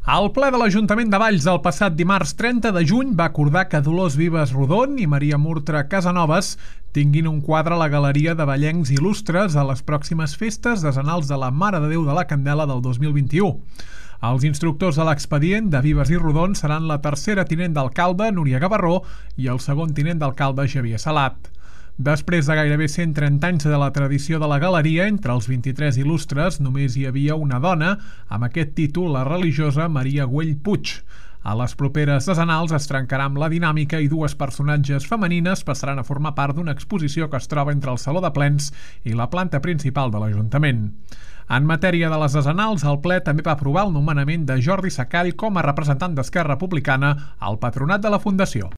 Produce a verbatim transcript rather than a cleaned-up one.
El ple de l'Ajuntament de Valls el passat dimarts trenta de juny va acordar que Dolors Vives Rodon i Maria Murtra Casanovas tinguin un quadre a la Galeria de Vallencs Il·lustres a les pròximes festes decenals de la Mare de Déu de la Candela del dos mil vint-i-u. Els instructors de l'expedient de Vives i Rodon seran la tercera tinent d'alcalde, Núria Gavarró, i el segon tinent d'alcalde, Xavier Salat. Després de gairebé cent trenta anys de la tradició de la galeria, entre els vint-i-tres il·lustres només hi havia una dona, amb aquest títol, la religiosa Maria Güell Puig. A les properes decenals es trencarà amb la dinàmica i dues personatges femenines passaran a formar part d'una exposició que es troba entre el Saló de Plens i la planta principal de l'Ajuntament. En matèria de les decenals, el ple també va aprovar el nomenament de Jordi Sacall com a representant d'Esquerra Republicana al patronat de la Fundació.